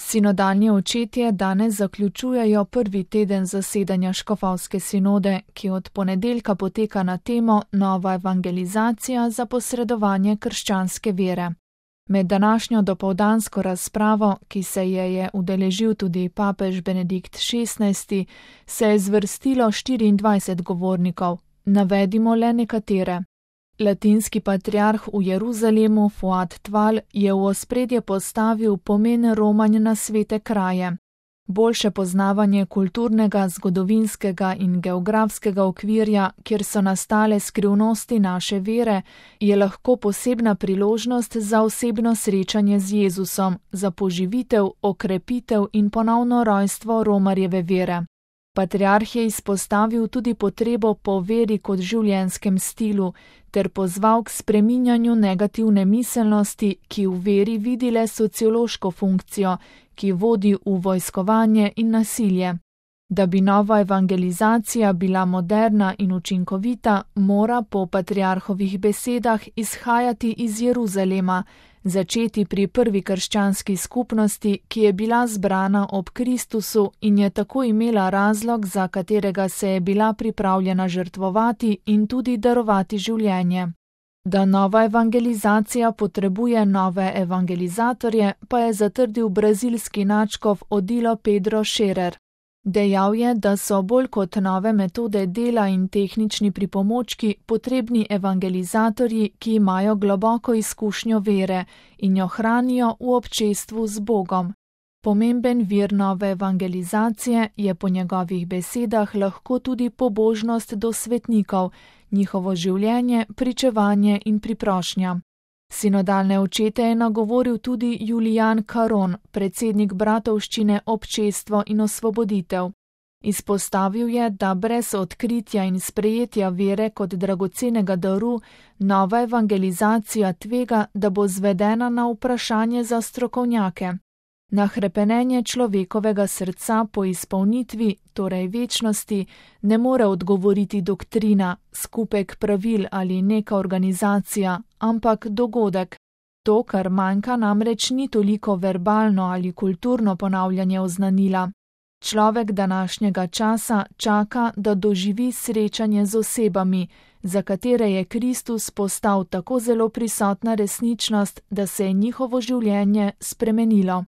Sinodalni očetje danes zaključujejo prvi teden zasedanja škofovske sinode, ki od ponedeljka poteka na temo Nova evangelizacija za posredovanje krščanske vere. Med današnjo dopoldansko razpravo, ki se je udeležil tudi papež Benedikt XVI, se je zvrstilo 24 govornikov. Navedimo le nekatere. Latinski patriarh v Jeruzalemu Fuad Tval je v ospredje postavil pomen romanja na svete kraje. Boljše poznavanje kulturnega, zgodovinskega in geografskega okvirja, kjer so nastale skrivnosti naše vere, je lahko posebna priložnost za osebno srečanje z Jezusom, za poživitev, okrepitev in ponovno rojstvo romarjeve vere. Patriarh je izpostavil tudi potrebo po veri kot življenjskem stilu, ter pozval k spreminjanju negativne miselnosti, ki v veri vidi le sociološko funkcijo, ki vodi v vojskovanje in nasilje. Da bi nova evangelizacija bila moderna in učinkovita, mora po patriarhovih besedah izhajati iz Jeruzalema, začeti pri prvi krščanski skupnosti, ki je bila zbrana ob Kristusu in je tako imela razlog, za katerega se je bila pripravljena žrtvovati in tudi darovati življenje. Da nova evangelizacija potrebuje nove evangelizatorje, pa je zatrdil brazilski nadškof Odilo Pedro Scherer. Dejal je, da so bolj kot nove metode dela in tehnični pripomočki potrebni evangelizatorji, ki imajo globoko izkušnjo vere in jo hranijo v občestvu z Bogom. Pomemben vir nove evangelizacije je po njegovih besedah lahko tudi pobožnost do svetnikov, njihovo življenje, pričevanje in priprošnja. Sinodalne očete je nagovoril tudi Julian Caron, predsednik bratovščine Občestvo in osvoboditev. Izpostavil je, da brez odkritja in sprejetja vere kot dragocenega daru, nova evangelizacija tvega, da bo zvedena na vprašanje za strokovnjake. Na hrepenenje človekovega srca po izpolnitvi, torej večnosti, ne more odgovoriti doktrina, skupek pravil ali neka organizacija, ampak dogodek. To, kar manjka, namreč ni toliko verbalno ali kulturno ponavljanje oznanila. Človek današnjega časa čaka, da doživi srečanje z osebami, za katere je Kristus postal tako zelo prisotna resničnost, da se je njihovo življenje spremenilo.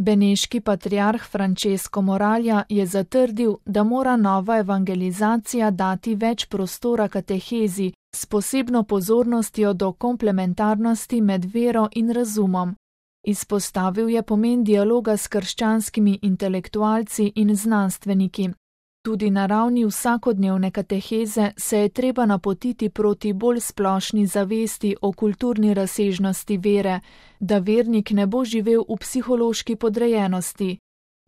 Beneški patriarh Francesco Moralja je zatrdil, da mora nova evangelizacija dati več prostora katehezi s posebno pozornostjo do komplementarnosti med vero in razumom. Izpostavil je pomen dialoga s krščanskimi intelektualci in znanstveniki. Tudi na ravni vsakodnevne kateheze se je treba napotiti proti bolj splošni zavesti o kulturni razsežnosti vere, da vernik ne bo živel v psihološki podrejenosti.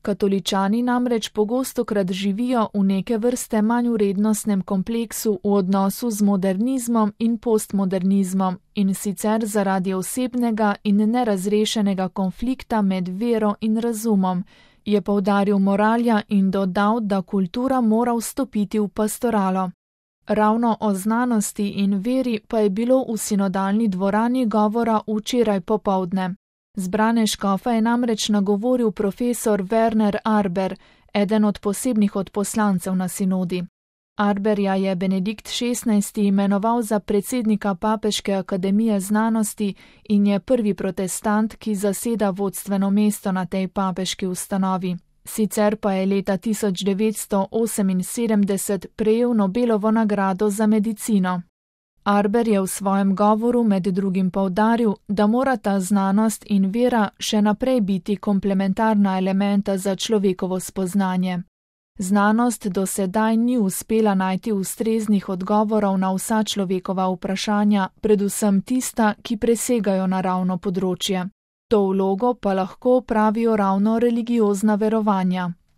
Katoličani namreč pogostokrat živijo v neke vrste manjvrednostnem kompleksu v odnosu z modernizmom in postmodernizmom, in sicer zaradi osebnega in nerazrešenega konflikta med vero in razumom, je poudaril Moralja in dodal, da kultura mora vstopiti v pastoralo. Ravno o znanosti in veri pa je bilo v sinodalni dvorani govora včeraj popoldne. Zbrane škofe je namreč nagovoril profesor Werner Arber, eden od posebnih odposlancev na sinodi. Arberja je Benedikt XVI imenoval za predsednika Papeške akademije znanosti in je prvi protestant, ki zaseda vodstveno mesto na tej papeški ustanovi. Sicer pa je leta 1978 prejel Nobelovo nagrado za medicino. Arber je v svojem govoru med drugim poudaril, da morata znanost in vera še naprej biti komplementarna elementa za človekovo spoznanje. Znanost do sedaj ni uspela najti ustreznih odgovorov na vsa človekova vprašanja, predvsem tista, ki presegajo naravno področje. To vlogo pa lahko opravijo ravno religiozna verovanja.